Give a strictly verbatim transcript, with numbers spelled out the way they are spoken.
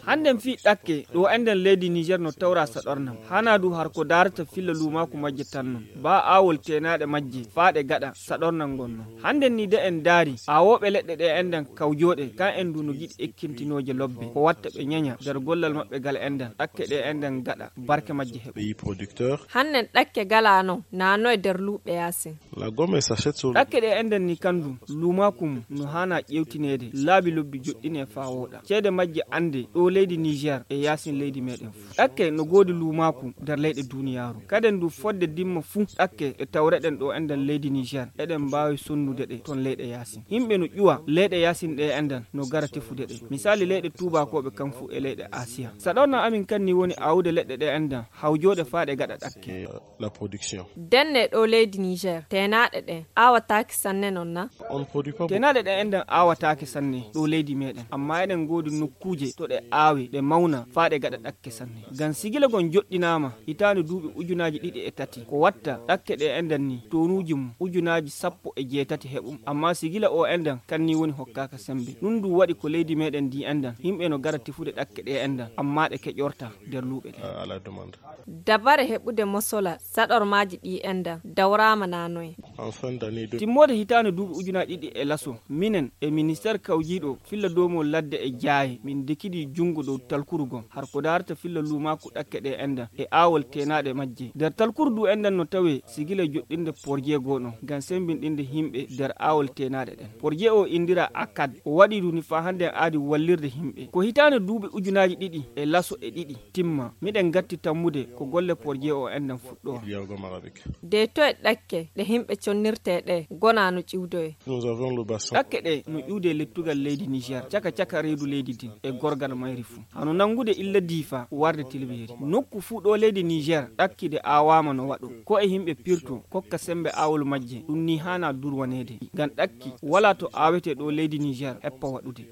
Hannden fii ɗakke ɗo enɗen leydi Niger no tawra saɗornam. Hanaa du har ko daarata filla luumaaku majje tan non. Baa aawol teenaaɗe majje faaɗe gaɗa saɗornam ngon non. Hannden ni de en daari aawooɓe leɗɗe ɗe enɗen kawjooɗe kan en du no giɗi ekkintinooje lobbe. Ko watta ɓe ñaña nder gollal maɓɓe gal enɗen ɗakke ɗe enɗen gaɗa barke majje heɓa. Hannden ɗakke gala non naano e nder luuɓe yaasin. Ɗakke ɗe enɗen ni kan du luumaaku mum no haana ƴeewtineede laabi lobbi joɗɗine faa wooɗa. Ceede majje annde ɗo leydi Niger e yaasin leydi meɗen fuu. Ɗakke no goodi luumaaku nder leyɗe duuniyaaru. Kaden du fodde dimma fuu ɗakke ɗe tawreɗen ɗo enɗen leydi Niger eɗen mbaawi sonnude ɗe ton leyɗe yaasin. Yimɓe no ƴuwa leyɗe yaasin ɗe enɗen no gara tefude ɗe. Misaali leyɗe tuubaakooɓe kan fuu e leyɗe Asiya. Saɗorna amin kan ni woni aawude leɗɗe ɗe enɗen hawjooɗe faa ɗe gaɗa ɗakke. Denne ɗo leydi Niger teenaaɗe ɗe aawataake sanne non na? Teenaaɗe ɗe enɗen aawataake sanne ɗo leydi meɗen, amma eɗen goodi nokkuuje to ɗe aawe ɗe mawna faa ɗe gaɗa ɗakke sanne. Ngam sigila gon joɗɗinaama hitaande duuɓi ujunaaji ɗiɗi e tati. Ko watta ɗakke ɗe enɗen ni toonuuji mum ujunaaji sappo e jeetati heɓum, amma sigila o enɗen kan ni woni hokkaaka sembe. Ɗum du waɗi ko leydi meɗen ndi enɗen yimɓe no gara tefude ɗakke ɗe enɗen, amma ɗe keƴorta nder luuɓe ɗe. Dabare heɓude mosola saɗormaaji ɗi enɗen dawraama naanoye. Timmoode hitaande duuɓi ujunaaji ɗiɗi e laso, minen e ministeer kawjiiɗo filla doomol ladde e jaaye, min dekidi junngo dow talkuru gom har ko daarata filla luumaaku ɗakke ɗe enɗen e aawol teenaaɗe majje. Nder talkuru du enɗen no tawee sigila joɗɗinde porje goo ɗon ngam semmbinɗinde yimɓe nder aawol teenaaɗe ɗen. Porje o inndiraa akad, o waɗi du ni faa hannde aadi wallirde yimɓe. Ko hitaande duuɓi ujunaaji ɗiɗi e laso e ɗiɗi timma, miɗen gatti tammude ko golle porje o enɗen fuɗɗoora. De to e ɗakke ɗe yimɓe connirtee ɗe gonaa no ƴiwdoye. Ɗakke ɗe no ƴuwde lettugal leydi Niger, caka caka reedu leydi din e gorgal mayri fuu. Hano nanngude illa Diifa warde Tilbeeri. Nokku fuu ɗo leydi Niger ɗakkide aawaama no waɗo. Ko e yimɓe pirto kokka sembe aawol majje, ɗum ni haana durwaneede. Ngam ɗakki walaa to aawetee ɗo leydi Niger heppa waɗude.